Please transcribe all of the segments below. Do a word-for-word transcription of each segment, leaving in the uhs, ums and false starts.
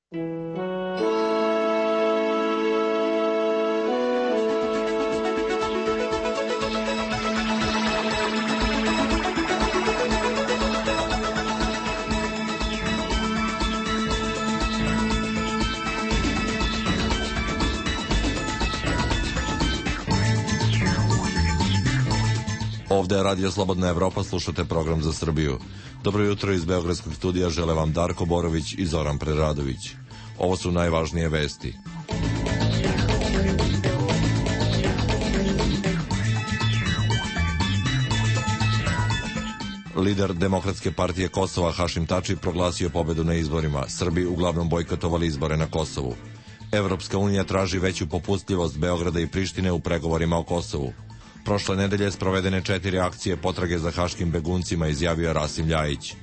Ovde je Radio Slobodna Evropa, slušate program za Srbiju. Dobro jutro iz Beogradskog studija, žele vam Darko Borović i Zoran Preradović. Ovo su najvažnije vesti. Lider Demokratske partije Kosova Hašim Tači proglasio pobedu na izborima. Srbi uglavnom bojkotovali izbore na Kosovu. Evropska unija traži veću popustljivost Beograda i Prištine u pregovorima o Kosovu. Prošle nedelje sprovedene četiri akcije potrage za haškim beguncima, izjavio Rasim Ljajić.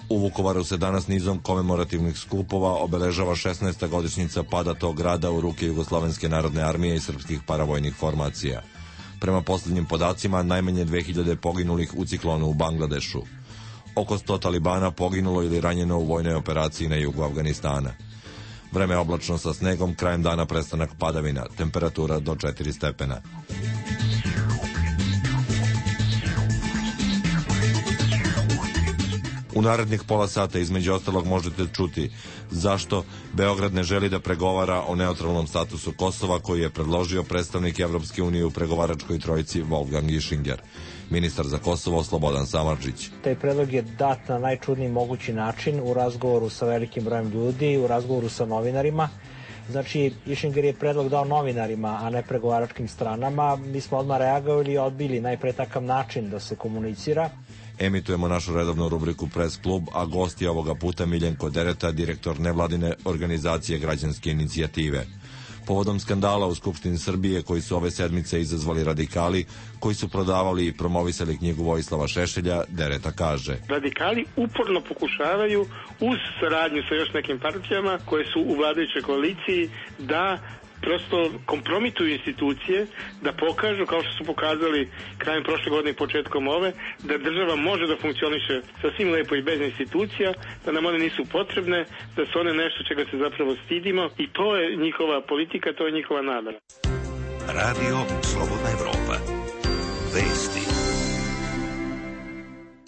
U Vukovaru se danas nizom komemorativnih skupova obeležava šesnaesta godišnjica pada tog grada u ruke Jugoslovenske narodne armije i srpskih paravojnih formacija. Prema posljednjim podacima, najmanje dve hiljade poginulih u ciklonu u Bangladešu. Oko sto talibana poginulo ili ranjeno u vojnoj operaciji na jugu Afganistana. Vreme oblačno sa snegom, krajem dana prestanak padavina, temperatura do četiri stepena. U narednih pola sata između ostalog možete čuti zašto Beograd ne želi da pregovara o neutralnom statusu Kosova koji je predložio predstavnik Evropske unije u pregovaračkoj trojici Wolfgang Ischinger. Ministar za Kosovo Slobodan Samardžić. Taj predlog je dat na najčudniji mogući način u razgovoru sa velikim brojem ljudi, u razgovoru sa novinarima. Znači, Ischinger je predlog dao novinarima, a ne pregovaračkim stranama. Mi smo odmah reagovali i odbili najpre takav način da se komunicira. Emitujemo našu redovnu rubriku Press Klub, a gost je ovoga puta Miljenko Dereta, direktor nevladine organizacije Građanske inicijative. Povodom skandala u Skupštini Srbije koji su ove sedmice izazvali radikali, koji su prodavali i promovisali knjigu Vojislava Šešelja, Dereta kaže: Radikali uporno pokušavaju uz saradnju sa još nekim partijama koje su u vladajućoj koaliciji da prosto kompromituju institucije, da pokažu, kao što su pokazali krajem prošle godine i početkom ove, da država može da funkcioniše sasvim lepo i bez institucija, da nam one nisu potrebne, da su one nešto čega se zapravo stidimo, i to je njihova politika, to je njihova namera. Radio Slobodna Evropa. Vesti.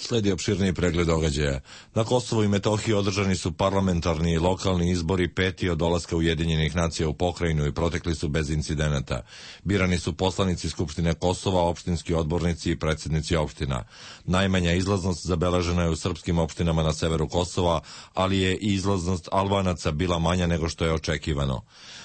Sledi opširniji pregled događaja. Na Kosovu i Metohiji održani su parlamentarni i lokalni izbori, peti od dolaska Ujedinjenih nacija u pokrajinu, i protekli su bez incidenata. Birani su poslanici Skupštine Kosova, opštinski odbornici i predsjednici opština. Najmanja izlaznost zabeležena je u srpskim opštinama na severu Kosova, ali je i izlaznost Albanaca bila manja nego što je očekivano.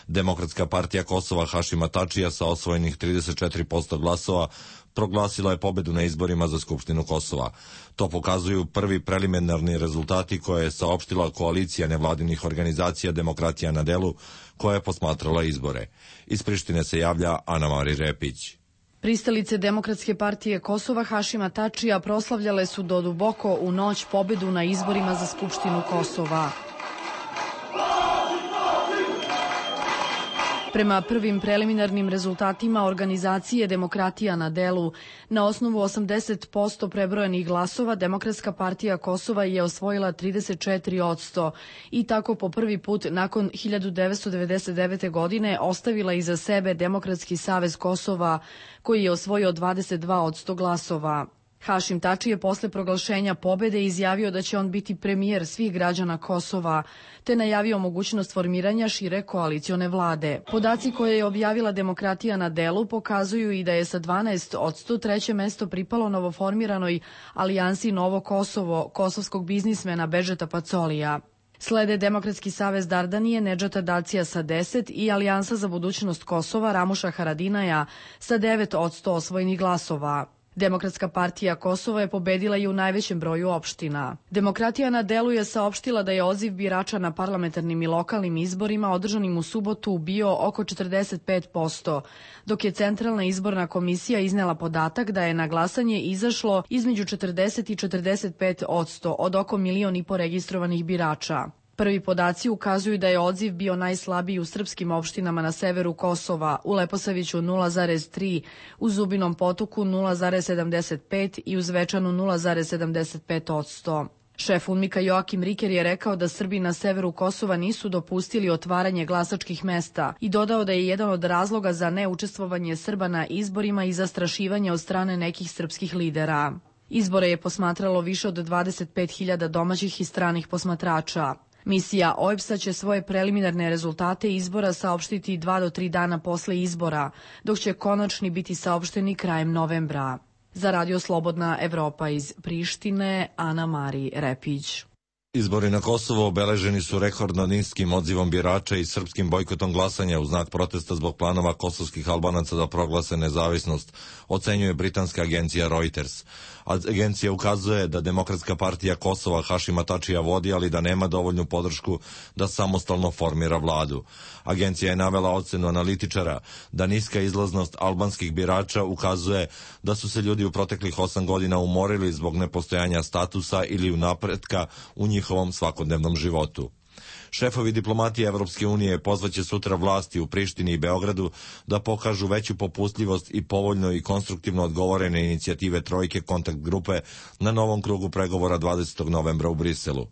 Demokratska partija Kosova Hašima Tačija sa osvojenih trideset četiri posto glasova proglasila je pobedu na izborima za Skupštinu Kosova. To pokazuju prvi preliminarni rezultati koje je saopštila koalicija nevladinih organizacija Demokratija na delu, koja je posmatrala izbore. Iz Prištine se javlja Ana Mari Repić. Pristalice Demokratske partije Kosova Hašima Tačija proslavljale su do duboko u noć pobedu na izborima za Skupštinu Kosova. Prema prvim preliminarnim rezultatima organizacije Demokratija na delu, na osnovu osamdeset posto prebrojenih glasova, Demokratska partija Kosova je osvojila trideset četiri posto i tako po prvi put nakon hiljadu devetsto devedeset devete. godine ostavila iza sebe Demokratski savez Kosova, koji je osvojio dvadeset dva posto glasova. Hašim Tači je posle proglašenja pobede izjavio da će on biti premijer svih građana Kosova, te najavio mogućnost formiranja šire koalicione vlade. Podaci koje je objavila Demokratija na delu pokazuju i da je sa dvanaest posto treće mesto pripalo novoformiranoj alijansi Novo Kosovo, kosovskog biznismena Bedžeta Pacolija. Slede Demokratski savez Dardanije Nedžata Dacija sa deset i Alijansa za budućnost Kosova Ramuša Haradinaja sa devet posto osvojenih glasova. Demokratska partija Kosova je pobedila i u najvećem broju opština. Demokratija na delu je saopštila da je odziv birača na parlamentarnim i lokalnim izborima održanim u subotu bio oko četrdeset pet posto, dok je Centralna izborna komisija iznela podatak da je na glasanje izašlo između četrdeset i četrdeset pet posto od oko milion i po registrovanih birača. Prvi podaci ukazuju da je odziv bio najslabiji u srpskim opštinama na severu Kosova, u Leposaviću nula zarez tri, u Zubinom Potoku nula zarez sedamdeset pet i u Zvečanu nula zarez sedamdeset pet posto. Šef UNMIK-a Joakim Riker je rekao da Srbi na severu Kosova nisu dopustili otvaranje glasačkih mesta i dodao da je jedan od razloga za neučestvovanje Srba na izborima i zastrašivanje od strane nekih srpskih lidera. Izbore je posmatralo više od dvadeset pet hiljada domaćih i stranih posmatrača. Misija O E B S-a će svoje preliminarne rezultate izbora saopštiti dva do tri dana posle izbora, dok će konačni biti saopšteni krajem novembra. Za Radio Slobodna Evropa iz Prištine, Ana Mari Repić. Izbori na Kosovo obeleženi su rekordno niskim odzivom birača i srpskim bojkotom glasanja u znak protesta zbog planova kosovskih Albanaca da proglase nezavisnost, ocenjuje britanska agencija Reuters. Agencija ukazuje da Demokratska partija Kosova Hašima Tačija vodi, ali da nema dovoljnu podršku da samostalno formira vladu. Agencija je navela ocenu analitičara da niska izlaznost albanskih birača ukazuje da su se ljudi u proteklih osam godina umorili zbog nepostojanja statusa ili napretka u njihovom svakodnevnom životu. Šefovi diplomatije Evropske unije pozvaće sutra vlasti u Prištini i Beogradu da pokažu veću popustljivost i povoljno i konstruktivno odgovorene inicijative Trojke kontakt grupe na novom krugu pregovora dvadesetog novembra u Briselu.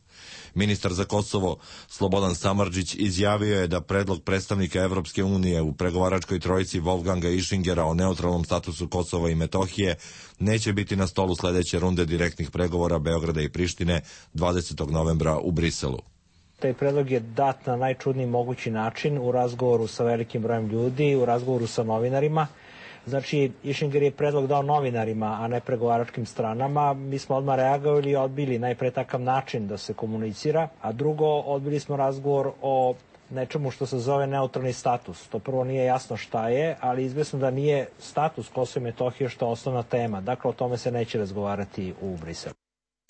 Ministar za Kosovo Slobodan Samardžić izjavio je da predlog predstavnika Evropske unije u pregovaračkoj trojici Wolfganga Ischingera o neutralnom statusu Kosova i Metohije neće biti na stolu sledeće runde direktnih pregovora Beograda i Prištine dvadesetog novembra u Briselu. Taj predlog je dat na najčudniji mogući način u razgovoru sa velikim brojem ljudi, u razgovoru sa novinarima. Znači, Išinger je predlog dao novinarima, a ne pregovaračkim stranama. Mi smo odmah reagovali i odbili najpre takav način da se komunicira, a drugo, odbili smo razgovor o nečemu što se zove neutralni status. To prvo nije jasno šta je, ali izvesno da nije status Kosova i Metohije što je osnovna tema. Dakle, o tome se neće razgovarati u Briselu,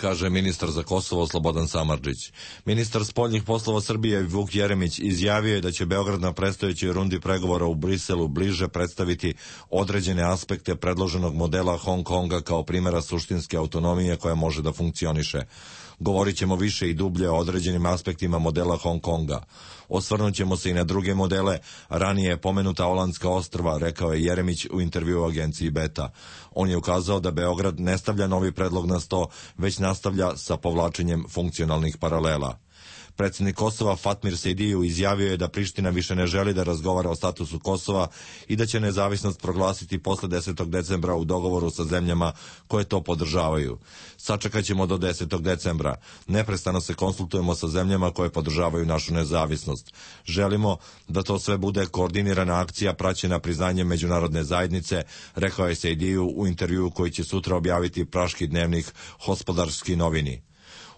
kaže ministar za Kosovo Slobodan Samardžić. Ministar spoljnih poslova Srbije Vuk Jeremić izjavio je da će Beograd na predstojećoj rundi pregovora u Briselu bliže predstaviti određene aspekte predloženog modela Hong Konga kao primjera suštinske autonomije koja može da funkcioniše. Govorit ćemo više i dublje o određenim aspektima modela Hong Konga. Osvrnut ćemo se i na druge modele, ranije pomenuta Olandska ostrva, rekao je Jeremić u intervju u agenciji Beta. On je ukazao da Beograd ne stavlja novi predlog na sto, već nastavlja sa povlačenjem funkcionalnih paralela. Predsjednik Kosova Fatmir Sejdiju izjavio je da Priština više ne želi da razgovara o statusu Kosova i da će nezavisnost proglasiti posle desetog decembra u dogovoru sa zemljama koje to podržavaju. Sačekat ćemo do desetog decembra. Neprestano se konsultujemo sa zemljama koje podržavaju našu nezavisnost. Želimo da to sve bude koordinirana akcija praćena priznanjem međunarodne zajednice, rekao je Sejdiju u intervjuu koji će sutra objaviti praški dnevnik Hospodarski novini.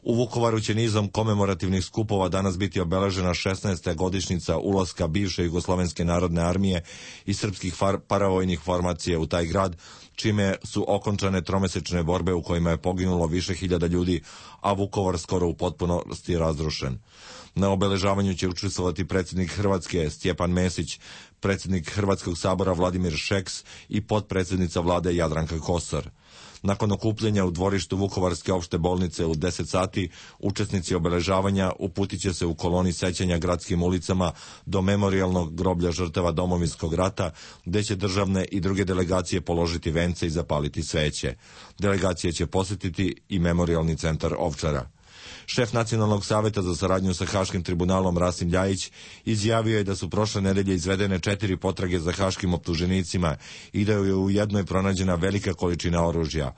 U Vukovaru će nizom komemorativnih skupova danas biti obeležena šesnaesta godišnjica ulaska bivše Jugoslovenske narodne armije i srpskih far, paravojnih formacija u taj grad, čime su okončane tromesečne borbe u kojima je poginulo više hiljada ljudi, a Vukovar skoro u potpunosti razrušen. Na obeležavanju će učestvovati predsjednik Hrvatske Stjepan Mesić, predsjednik Hrvatskog sabora Vladimir Šeks i potpredsjednica vlade Jadranka Kosor. Nakon okupljenja u dvorištu Vukovarske opšte bolnice u deset sati, učesnici obeležavanja uputit će se u koloni sećanja gradskim ulicama do memorijalnog groblja žrtava Domovinskog rata, gde će državne i druge delegacije položiti vence i zapaliti sveće. Delegacije će posjetiti i memorijalni centar Ovčara. Šef Nacionalnog saveta za saradnju sa Haškim tribunalom Rasim Ljajić izjavio je da su prošle nedelje izvedene četiri potrage za haškim optuženicima i da je u jednoj pronađena velika količina oružja.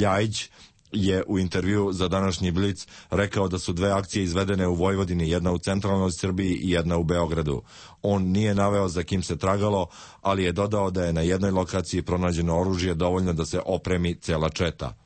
Ljajić je u intervju za današnji Blic rekao da su dve akcije izvedene u Vojvodini, jedna u centralnoj Srbiji i jedna u Beogradu. On nije naveo za kim se tragalo, ali je dodao da je na jednoj lokaciji pronađeno oružje dovoljno da se opremi cela četa.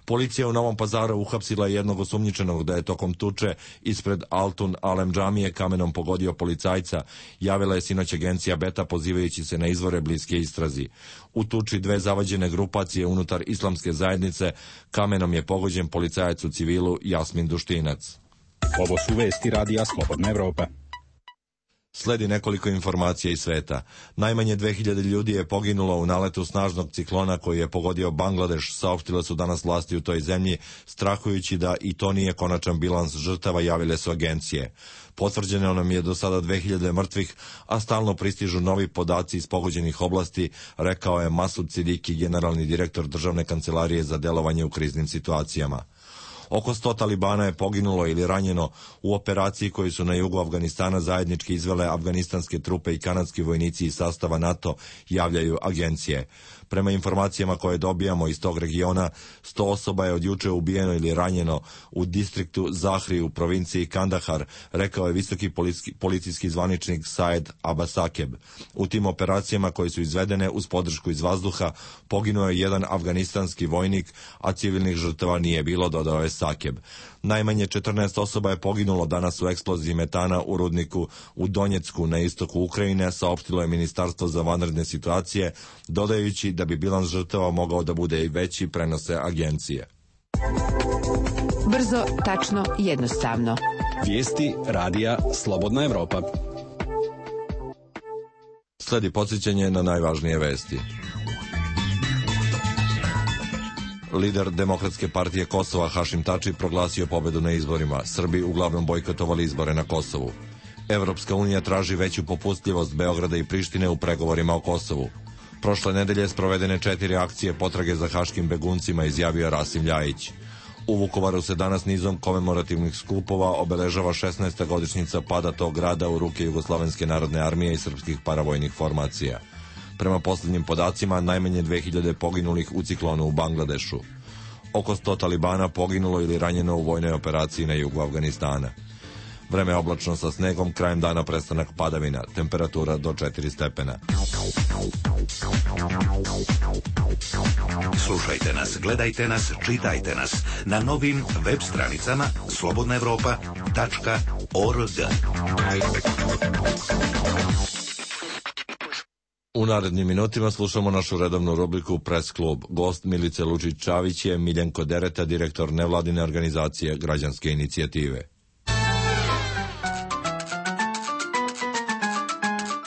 Policija u Novom Pazaru uhapsila jednog osumnjičenog da je tokom tuče ispred Altun Alem džamije kamenom pogodio policajca, javila je sinoć agencija Beta pozivajući se na izvore bliske istrazi. U tuči dve zavađene grupacije unutar islamske zajednice kamenom je pogođen policajac u civilu Jasmin Duštinac. Ovo su vesti Radija Slobodna Evropa. Sledi nekoliko informacija iz sveta. Najmanje dve hiljade ljudi je poginulo u naletu snažnog ciklona koji je pogodio Bangladeš, saopštile su danas vlasti u toj zemlji, strahujući da i to nije konačan bilans žrtava, javile su agencije. Potvrđeno nam je do sada dve hiljade mrtvih, a stalno pristižu novi podaci iz pogođenih oblasti, rekao je Masud Sidiki, generalni direktor Državne kancelarije za delovanje u kriznim situacijama. Oko sto talibana je poginulo ili ranjeno u operaciji koju su na jugu Afganistana zajednički izvele afganistanske trupe i kanadski vojnici iz sastava NATO, javljaju agencije. Prema informacijama koje dobijamo iz tog regiona, sto osoba je od juče ubijeno ili ranjeno u distriktu Zahri u provinciji Kandahar, rekao je visoki policijski, policijski zvaničnik Saed Abasakeb. U tim operacijama koje su izvedene uz podršku iz vazduha, poginuo je jedan afganistanski vojnik, a civilnih žrtava nije bilo, dodao je Sakeb. Najmanje četrnaest osoba je poginulo danas u eksploziji metana u rudniku u Donjecku na istoku Ukrajine, saopštilo je Ministarstvo za vanredne situacije, dodajući da bi bilans žrtava mogao da bude i veći, prenose agencije. Brzo, tačno, jednostavno. Vijesti radija Slobodna Evropa. Sledi podsjećanje na najvažnije vesti. Lider Demokratske partije Kosova Hašim Tači proglasio pobedu na izborima. Srbi uglavnom bojkotovali izbore na Kosovu. Evropska unija traži veću popustljivost Beograda i Prištine u pregovorima o Kosovu. Prošle nedelje sprovedene četiri akcije potrage za haškim beguncima, izjavio Rasim Ljajić. U Vukovaru se danas nizom komemorativnih skupova obeležava šesnaesta godišnjica pada tog grada u ruke Jugoslovenske narodne armije i srpskih paravojnih formacija. Prema posljednjim podacima, najmanje dve hiljade poginulih u ciklonu u Bangladešu. Oko sto talibana poginulo ili ranjeno u vojnoj operaciji na jugu Afganistana. Vreme je oblačno sa snegom, krajem dana prestanak padavina, temperatura do četiri stepena. Slušajte nas, gledajte nas, čitajte nas na novim web stranicama slobodna evropa tačka org. U narednim minutima slušamo našu redovnu rubriku Press Klub. Gost Milice Lučić-Čavić je Miljenko Dereta, direktor nevladine organizacije Građanske inicijative.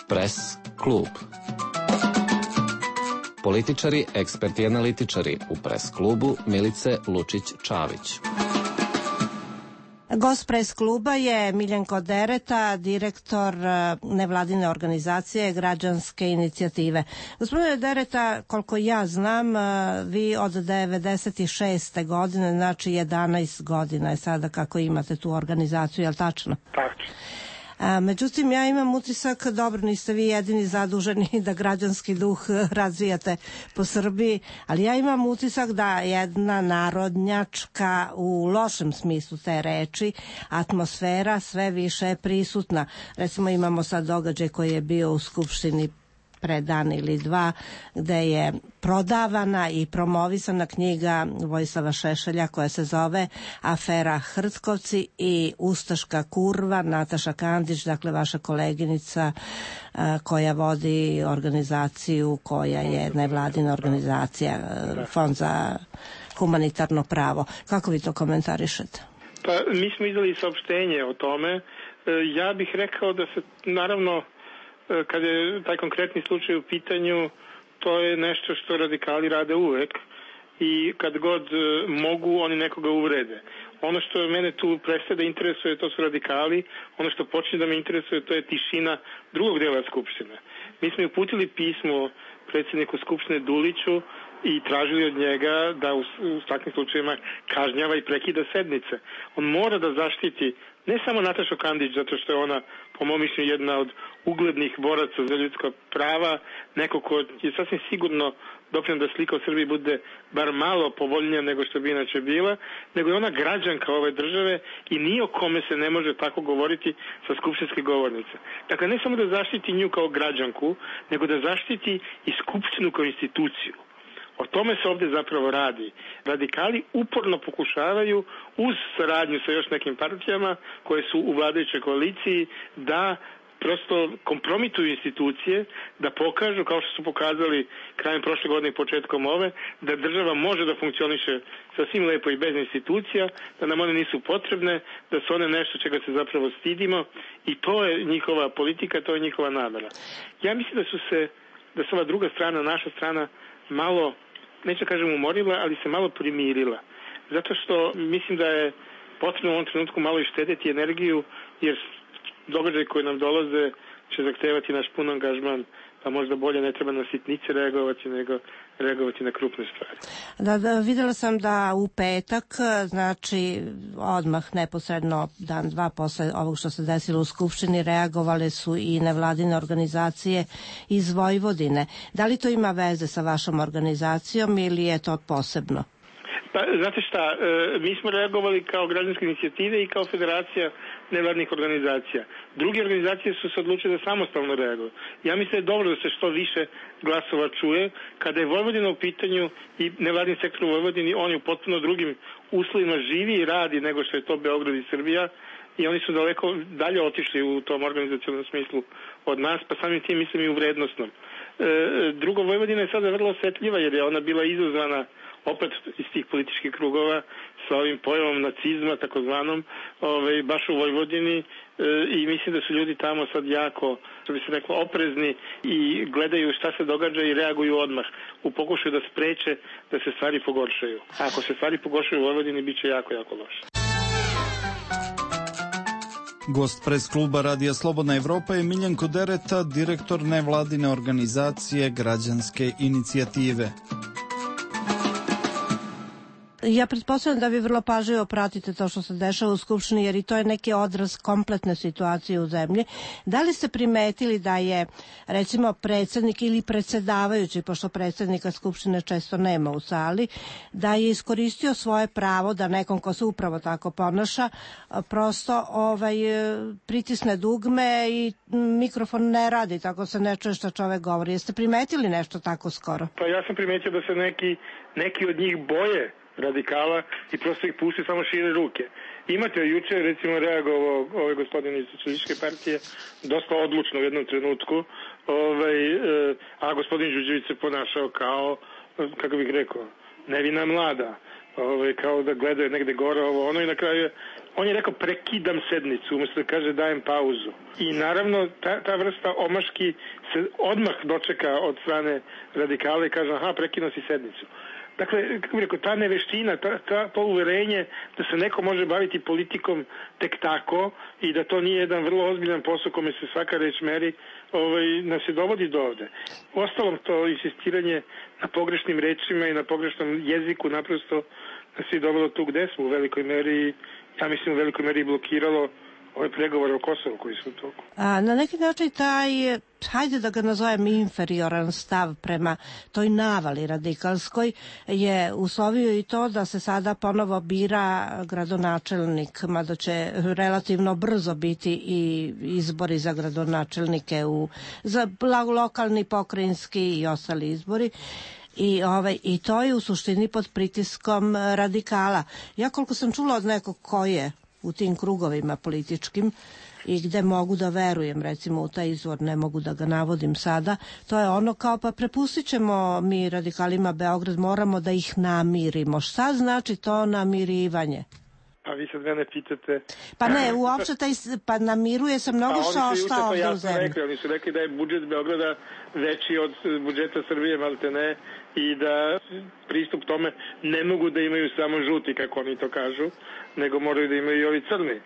Press Klub. Političari, eksperti i analitičari u Press Klubu Milice Lučić-Čavić. Gost Press Kluba je Miljenko Dereta, direktor nevladine organizacije Građanske inicijative. Gospodine Dereta, koliko ja znam, vi od devedeset šeste godine, znači jedanaest godina je sada kako imate tu organizaciju, je li tačno? Tačno. A, međutim, ja imam utisak, dobro, niste vi jedini zaduženi da građanski duh razvijate po Srbiji, ali ja imam utisak da jedna narodnjačka, u lošem smislu te reči, atmosfera sve više je prisutna. Recimo, imamo sad događaj koji je bio u Skupštini pre dan ili dva, gde je prodavana i promovisana knjiga Vojislava Šešelja koja se zove Afera Hrtkovci i Ustaška kurva, Nataša Kandić, dakle vaša koleginica koja vodi organizaciju koja je nevladina organizacija, Fond za humanitarno pravo. Kako vi to komentarišete? Pa mi smo izdali saopštenje o tome. Ja bih rekao da se naravno kad je taj konkretni slučaj u pitanju, to je nešto što radikali rade uvek i kad god mogu, oni nekoga uvrede. Ono što mene tu prestaje da interesuje, to su radikali. Ono što počne da me interesuje, to je tišina drugog dela Skupštine. Mi smo uputili pismo predsjedniku Skupštine Duliću i tražili od njega da u, u takvim slučajima kažnjava i prekida sednice. On mora da zaštiti ne samo Natašu Kandić, zato što je ona, po mom mišljenju, jedna od uglednih boraca za ljudska prava, neko ko je sasvim sigurno doprineo da slika o Srbiji bude bar malo povoljnija nego što bi inače bila, nego je ona građanka ove države i ni o kome se ne može tako govoriti sa skupštinske govornice. Dakle, ne samo da zaštiti nju kao građanku, nego da zaštiti i Skupštinu kao instituciju. O tome se ovdje zapravo radi. Radikali uporno pokušavaju uz saradnju sa još nekim partijama koje su u vladajućoj koaliciji da prosto kompromituju institucije, da pokažu, kao što su pokazali krajem prošle godine i početkom ove, da država može da funkcioniše sasvim lepo i bez institucija, da nam one nisu potrebne, da su one nešto čega se zapravo stidimo i to je njihova politika, to je njihova namera. Ja mislim da su se, da se ova druga strana, naša strana, malo, neću kažem umorila, ali se malo primirila. Zato što mislim da je potrebno u ovom trenutku malo i štedeti energiju, jer događaje koje nam dolaze će zahtevati naš pun angažman, pa možda bolje ne treba na sitnice reagovati, nego reagovati na krupne stvari. Da, da, videla sam da u petak, znači odmah neposredno dan, dva posle ovog što se desilo u Skupštini, reagovale su i nevladine organizacije iz Vojvodine. Da li to ima veze sa vašom organizacijom ili je to posebno? Pa, znate šta, mi smo reagovali kao građanske inicijative i kao federacija nevladnih organizacija. Druge organizacije su se odlučile da samostalno reaguju. Ja mislim da je dobro da se što više glasova čuje. Kada je Vojvodina u pitanju i nevladni sektor u Vojvodini, on je u potpuno drugim uslovima živi i radi nego što je to Beograd i Srbija, i oni su daleko dalje otišli u tom organizacionom smislu od nas, pa samim tim mislim i u vrednostnom. E, drugo, Vojvodina je sada vrlo osetljiva jer je ona bila izazvana opet iz tih političkih krugova sa ovim pojavom nacizma takozvanom, ovaj, baš u Vojvodini, e, i mislim da su ljudi tamo sad jako, što bi se reklo, oprezni i gledaju šta se događa i reaguju odmah u pokušaju da spreče da se stvari pogoršaju. A ako se stvari pogoršaju u Vojvodini, bit će jako, jako loše. Gost pres kluba Radija Slobodna Evropa je Miljenko Dereta, direktor nevladine organizacije Građanske inicijative. Ja pretpostavljam da vi vrlo pažljivo pratite to što se dešava u Skupštini, jer i to je neki odraz kompletne situacije u zemlji. Da li ste primetili da je, recimo, predsjednik ili predsjedavajući, pošto predsjednika Skupštine često nema u sali, da je iskoristio svoje pravo da nekom ko se upravo tako ponaša, prosto ovaj, pritisne dugme i mikrofon ne radi, tako se ne čuje što čovek govori. Jeste primetili nešto tako skoro? Pa ja sam primetio da se neki, neki od njih boje radikala i prosto ih pusti, samo šire ruke. Imate juče, recimo, reagovao ovaj gospodin iz Socijalističke partije dosta odlučno u jednom trenutku, ovaj, a gospodin Đurđević se ponašao kao, kako bih rekao, nevina mlada, ovaj, kao da gledaju negde gore ovo ono, i na kraju on je rekao prekidam sednicu, umjesto da kaže dajem pauzu. I naravno ta, ta vrsta omaški se odmah dočeka od strane radikala i kaže aha, prekidam si sednicu. Dakle, kako bih rekao, ta neveština, ta, ta, to uverenje da se neko može baviti politikom tek tako i da to nije jedan vrlo ozbiljan posao kome se svaka reč meri, ovaj, nas se dovodi do ovde. Uostalom, to insistiranje na pogrešnim rečima i na pogrešnom jeziku naprosto nas je dovelo tu gde smo u velikoj meri, ja mislim u velikoj meri blokiralo ove pregovore o Kosovu koji su u toku. A na neki način taj, hajde da ga nazovem, inferioran stav prema toj navali radikalskoj je uslovio i to da se sada ponovo bira gradonačelnik, mada će relativno brzo biti i izbori za gradonačelnike, u, za lokalni, pokrajinski i ostali izbori. I, ovaj, I to je u suštini pod pritiskom radikala. Ja koliko sam čula od nekog ko je u tim krugovima političkim i gde mogu da verujem, recimo u taj izvor, ne mogu da ga navodim sada, to je ono kao pa prepustit ćemo mi radikalima Beograd, moramo da ih namirimo. Šta znači to namirivanje? Pa vi sad mene pitate... Pa ne, uopšte taj, pa namiruje se mnogo što šta ovde u zemlji. Rekli, oni su rekli da je budžet Beograda veći od budžeta Srbije, malte ne, i da pristup tome ne mogu da imaju samo žuti, kako oni to kažu, nego moraju da imaju i ovi crni.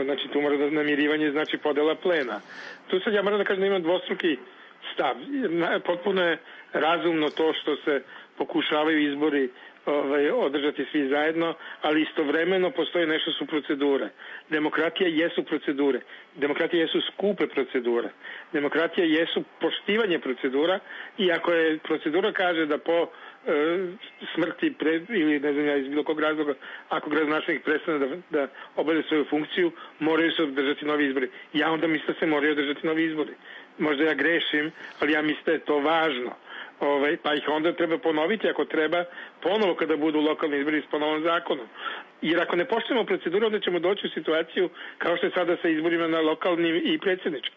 Znači tu mora da namirivanje znači podela plena. Tu sad ja moram da kažem da imam dvostruki stav. Potpuno je razumno to što se pokušavaju izbori ovaj, održati svi zajedno, ali istovremeno postoji nešto su procedure. Demokratija jesu procedure. Demokratija jesu skupe procedure. Demokratija jesu poštivanje procedura, i ako je procedura kaže da po e, smrti pre, ili ne znam ja iz bilo kog razloga, ako gradonačelnik prestane da, da obavlja svoju funkciju, moraju se održati novi izbori. Ja onda mislim da se moraju održati novi izbori. Možda ja grešim, ali ja mislim da je to važno. Ovaj, pa ih onda treba ponoviti ako treba ponovo kada budu lokalni izbori s ponovom zakonom. Jer ako ne poštujemo proceduru, onda ćemo doći u situaciju kao što je sada sa izborima na lokalnim i predsjedničkim.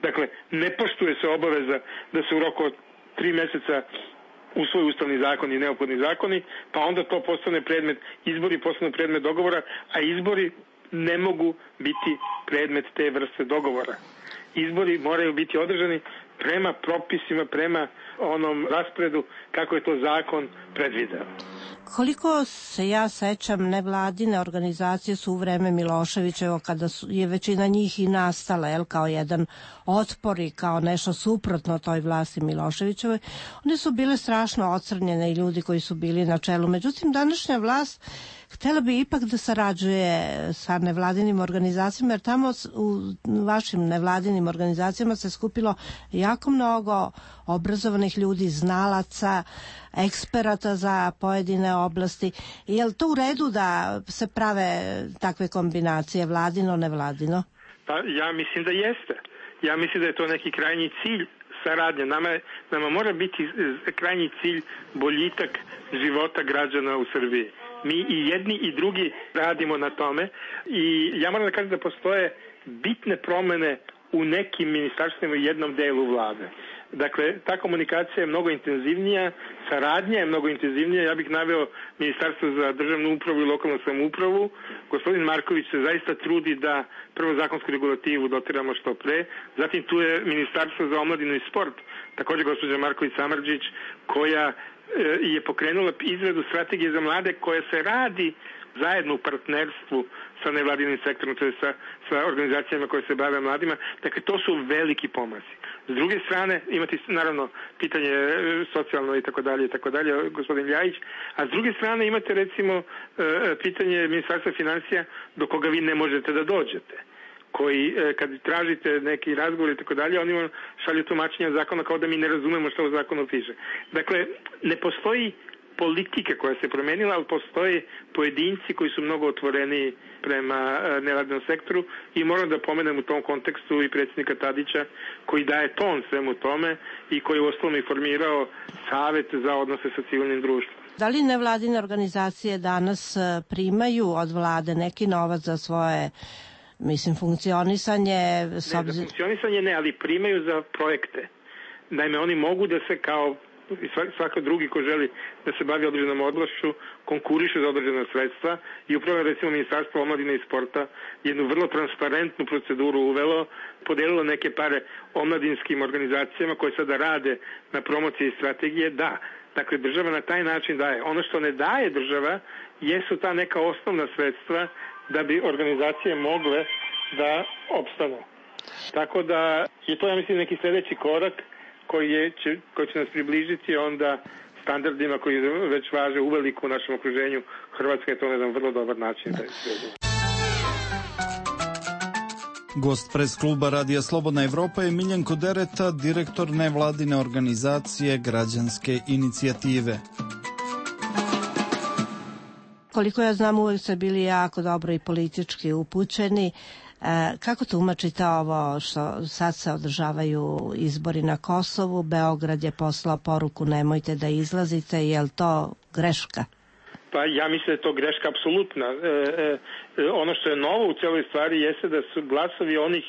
Dakle, ne poštuje se obaveza da se u roku od tri meseca usvoji ustavni zakon i neophodni zakoni, pa onda to postane predmet, izbori postane predmet dogovora, a izbori ne mogu biti predmet te vrste dogovora. Izbori moraju biti održani prema propisima, prema onom raspredu kako je to zakon predvideo. Koliko se ja sećam, nevladine organizacije su u vreme Miloševićevo, kada su, je većina njih i nastala, jel, kao jedan otpor i kao nešto suprotno toj vlasti Miloševićevoj, one su bile strašno ocrnjene i ljudi koji su bili na čelu. Međutim, današnja vlast htjela bi ipak da sarađuje sa nevladinim organizacijama, jer tamo u vašim nevladinim organizacijama se skupilo jako mnogo obrazovanih ljudi, znalaca, eksperata za pojedine oblasti. Je li to u redu da se prave takve kombinacije, vladino, nevladino? Pa ja mislim da jeste. Ja mislim da je to neki krajnji cilj saradnje. Nama, nama mora biti krajnji cilj boljitak života građana u Srbiji. Mi i jedni i drugi radimo na tome i ja moram da kažem da postoje bitne promene u nekim ministarstvima i jednom delu vlade. Dakle, ta komunikacija je mnogo intenzivnija, saradnja je mnogo intenzivnija. Ja bih naveo Ministarstvo za državnu upravu i lokalnu samoupravu. Gospodin Marković se zaista trudi da prvo zakonsku regulativu dotiramo što pre. Zatim tu je Ministarstvo za omladinu i sport, također gospođa Marković Samardžić, koja je pokrenula izradu strategije za mlade koja se radi zajedno u partnerstvu sa nevladinim sektorom, to je sa, sa organizacijama koje se bave mladima. Dakle, to su veliki pomaci. S druge strane, imate naravno pitanje socijalno i tako dalje i tako dalje, gospodin Ljajić, a s druge strane imate recimo pitanje Ministarstva financija do koga vi ne možete da dođete, koji kad tražite neki razgovor i tako dalje, oni vam šalju tumačenja zakona kao da mi ne razumemo što u zakonu piše. Dakle, ne postoji politika koja se promenila, ali postoje pojedinci koji su mnogo otvoreni prema nevladinom sektoru i moram da pomenem u tom kontekstu i predsjednika Tadića koji daje ton svemu tome i koji je uostalom i formirao Savet za odnose sa civilnim društvom. Da li nevladine organizacije danas primaju od vlade neki novac za svoje, mislim, funkcionisanje? Ne, za funkcionisanje ne, ali primaju za projekte. Naime, oni mogu da se kao i svako drugi ko želi da se bavi određenom oblašću konkuriše za određena sredstva i upravo recimo Ministarstvo omladine i sporta jednu vrlo transparentnu proceduru uvelo, podelilo neke pare omladinskim organizacijama koje sada rade na promociji strategije. Da, dakle država na taj način daje. Ono što ne daje država jesu ta neka osnovna sredstva da bi organizacije mogle da opstanu. Tako da je to, ja mislim, neki sljedeći korak koji, je, će, koji će nas približiti onda standardima koji već važe uveliko u našem okruženju. Hrvatska je to na jedan vrlo dobar način. Da. Gost pres kluba Radija Slobodna Evropa je Miljenko Dereta, direktor nevladine organizacije Građanske inicijative. Koliko ja znam, uvek ste bili jako dobro i politički upućeni. E, kako tumačite ovo što sad se održavaju izbori na Kosovu? Beograd je poslao poruku nemojte da izlazite. Je li to greška? Pa ja mislim da je to greška apsolutna. E, e, ono što je novo u celoj stvari jeste da su glasovi onih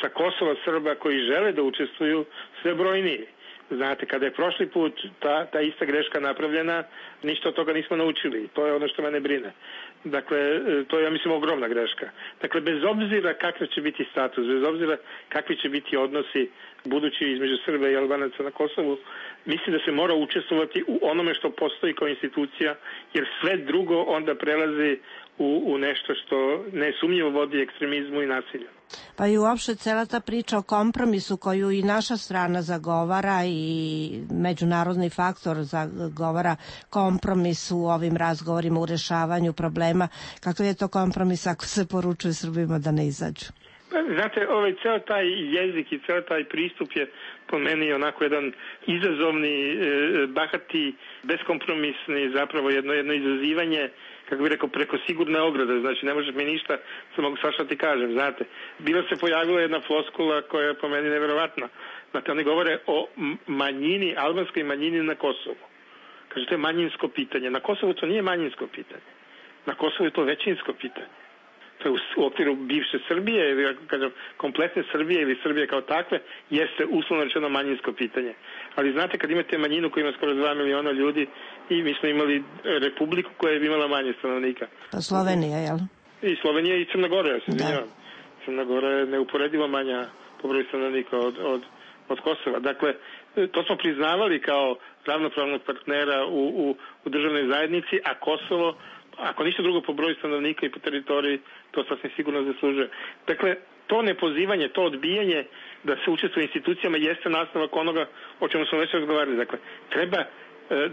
sa Kosova Srba koji žele da učestvuju sve brojniji. Znate, kada je prošli put ta, ta ista greška napravljena, ništa od toga nismo naučili. To je ono što mene brine. Dakle, to je, ja mislim, ogromna greška. Dakle, bez obzira kakav će biti status, bez obzira kakvi će biti odnosi budući između Srba i Albanaca na Kosovu, mislim da se mora učestvovati u onome što postoji kao institucija, jer sve drugo onda prelazi u, u nešto što nesumnjivo vodi ekstremizmu i nasilju. Pa i uopšte cela ta priča o kompromisu koju i naša strana zagovara i međunarodni faktor zagovara kompromis u ovim razgovorima u rešavanju problema. Kakav je to kompromis ako se poručuje Srbima da ne izađu? Znate, ovaj ceo taj jezik i ceo taj pristup je po meni onako jedan izazovni, bahati, beskompromisni, zapravo jedno, jedno izazivanje, kako bih rekao, preko sigurne ograde. Znači, ne možeš mi ništa, samo mogu svašta ti kažem, znate. Bila se pojavila jedna floskula koja je po meni neverovatna. Znate, oni govore o manjini, albanskoj manjini na Kosovu. Kaže, to je manjinsko pitanje. Na Kosovu to nije manjinsko pitanje. Na Kosovu je to većinsko pitanje. To je u okviru bivše Srbije, ili kažem, kompletne Srbije ili Srbije kao takve, jeste uslovno rečeno manjinsko pitanje. Ali znate, kad imate manjinu koja ima skoro dva miliona ljudi i mi smo imali republiku koja je imala manje stanovnika. Pa Slovenija, jel? I Slovenija i Crna Gora, ja se izvinjavam. Crna Gora je neuporedivo manja po broju stanovnika od, od, od Kosova. Dakle, to smo priznavali kao ravnopravnog partnera u, u, u državnoj zajednici, a Kosovo, ako ništa drugo po broju stanovnika i po teritoriji, to sasvim sigurno zaslužuje. Dakle, to nepozivanje, to odbijanje da se učestvuje u institucijama jeste nastavak onoga o čemu smo već razgovarali. Dakle, treba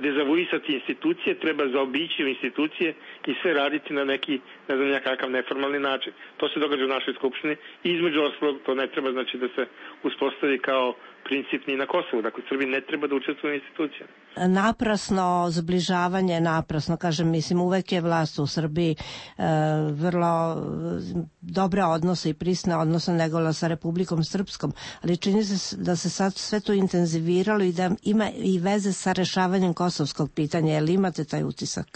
dezavuisati institucije, treba zaobići institucije i sve raditi na neki, ne znam, nekakav neformalni način. To se događa u našoj skupštini i između ostalog to ne treba znači da se uspostavi kao princip ni na Kosovu. Dakle, Srbi ne treba da učestvuju u institucijama. Naprasno zbližavanje, naprasno, kažem, mislim, uvek je vlast u Srbiji e, vrlo dobre odnose i prisne odnose negola sa Republikom Srpskom, ali čini se da se sad sve to intenziviralo i da ima i veze sa rešavanjem kosovskog pitanja. Je li imate taj utisak?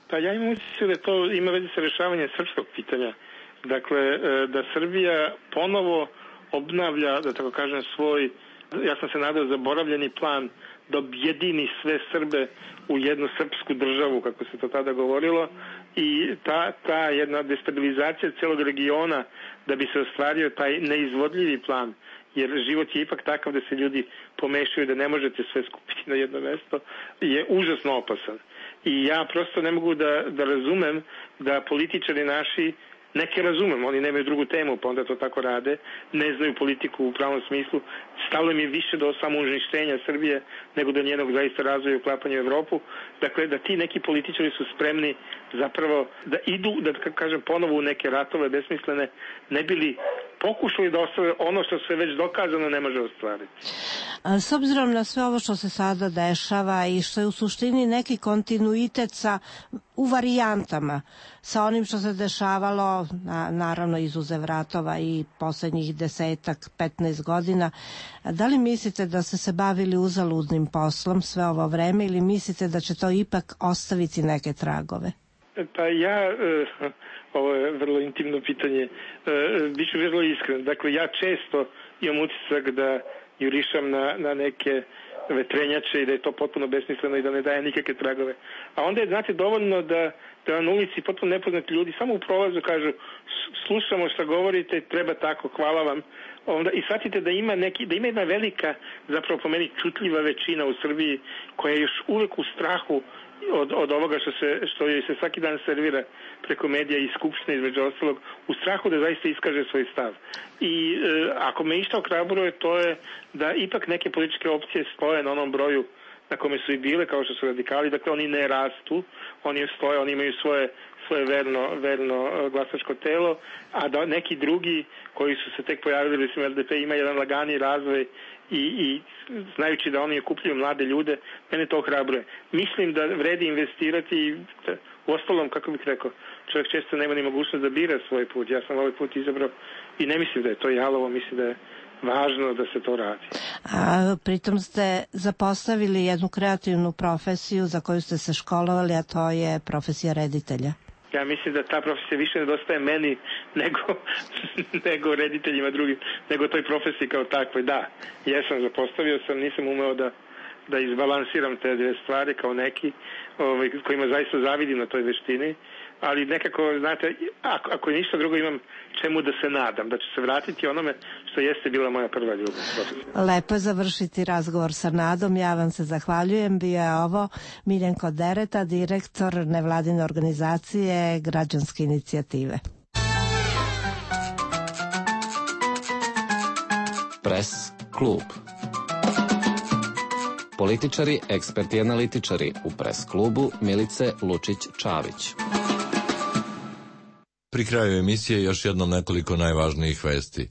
Pa ja imam utisak da to ima veze sa rešavanjem srpskog pitanja. Dakle, da Srbija ponovo obnavlja, da tako kažem, svoj, ja sam se nadao, zaboravljeni plan da objedini sve Srbe u jednu srpsku državu, kako se to tada govorilo, i ta, ta jedna destabilizacija celog regiona da bi se ostvario taj neizvodljivi plan, jer život je ipak takav da se ljudi pomešaju, da ne možete sve skupiti na jedno mesto, je užasno opasan. I ja prosto ne mogu da, da razumem da političari naši, neke razumem, oni nemaju drugu temu, pa onda to tako rade, ne znaju politiku u pravom smislu, stalo mi je više do samouništenja Srbije nego do njenog zaista razvoja i uklapanja u Evropu. Dakle, da ti neki političari su spremni zapravo da idu, da kažem, ponovo u neke ratove besmislene, ne bili pokušali da ostave ono što se već dokazano ne može ostvariti. S obzirom na sve ovo što se sada dešava i što je u suštini neki kontinuitet sa, u varijantama sa onim što se dešavalo, na, naravno izuzev ratova i poslednjih desetak, petnaest godina, da li mislite da ste se bavili uzaludnim poslom sve ovo vreme ili mislite da će to ipak ostaviti neke tragove? Pa ja, ovo je vrlo intimno pitanje, biću vrlo iskren. Dakle, ja često imam utisak da jurišam na, na neke vetrenjače i da je to potpuno besmisleno i da ne daje nikakve tragove. A onda je, znate, dovoljno da, da na ulici potpuno nepoznati ljudi samo u prolazu kažu slušamo šta govorite, treba tako, hvala vam. Onda, i shvatite da ima, neki, da ima jedna velika, zapravo po meni čutljiva većina u Srbiji koja je još uvek u strahu od, od ovoga što se, što joj se svaki dan servira preko medija i skupštine između ostalog, u strahu da zaista iskaže svoj stav. I e, ako me išta ohrabruje, to je da ipak neke političke opcije stoje na onom broju na kome su i bile, kao što su radikali, dakle oni ne rastu, oni stoje, oni imaju svoje, svoje verno, verno glasačko telo, a da neki drugi koji su se tek pojavili, recimo L D P ima jedan lagani razvoj i, i znajući da oni okupljuju mlade ljude, mene to ohrabruje. Mislim da vredi investirati i u ostalom, kako bih rekao, čovjek često nema ni mogućnost da bira svoj put. Ja sam ovaj put izabrao i ne mislim da je to jalovo, mislim da je važno da se to radi. A pritom ste zapostavili jednu kreativnu profesiju za koju ste se školovali, a to je profesija reditelja. Ja mislim da ta profesija više nedostaje meni nego, nego rediteljima drugim, nego toj profesiji kao takvoj. Da, jesam, zapostavio sam, nisam umeo da, da izbalansiram te dve stvari kao neki ovaj, kojima zaista zavidim na toj veštini, ali nekako, znate, ako, ako je ništa drugo imam čemu da se nadam, da ću se vratiti onome što jeste bila moja prva ljubav. Lepo je završiti razgovor sa nadom, ja vam se zahvaljujem. Bio je ovo Miljenko Dereta, direktor nevladine organizacije Građanske inicijative. Pres klub. Političari, eksperti i analitičari u Pres klubu Milice Lučić-Čavić. Pri kraju emisije još jednom nekoliko najvažnijih vesti.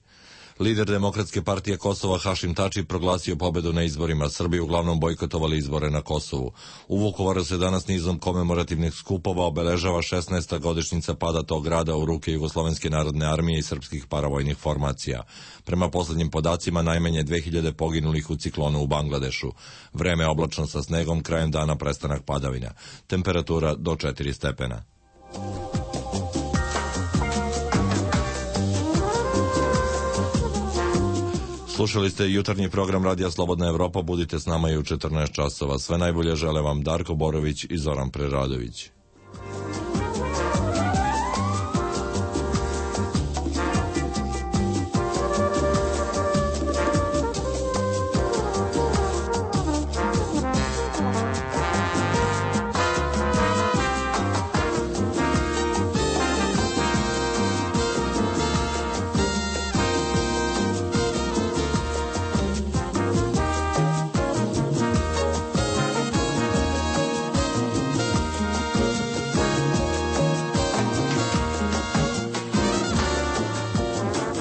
Lider Demokratske partije Kosova Hašim Tači proglasio pobedu na izborima. Srbi uglavnom bojkotovali izbore na Kosovu. U Vukovaru se danas nizom komemorativnih skupova obeležava šesnaesta godišnjica pada tog grada u ruke Jugoslovenske narodne armije i srpskih paravojnih formacija. Prema poslednjim podacima najmanje dve hiljade poginulih u ciklonu u Bangladešu. Vreme oblačno sa snegom, krajem dana prestanak padavina. Temperatura do četiri stepena. Slušali ste jutarnji program Radija Slobodna Evropa, budite s nama i u četrnaest časova. Sve najbolje žele vam Darko Borović i Zoran Preradović.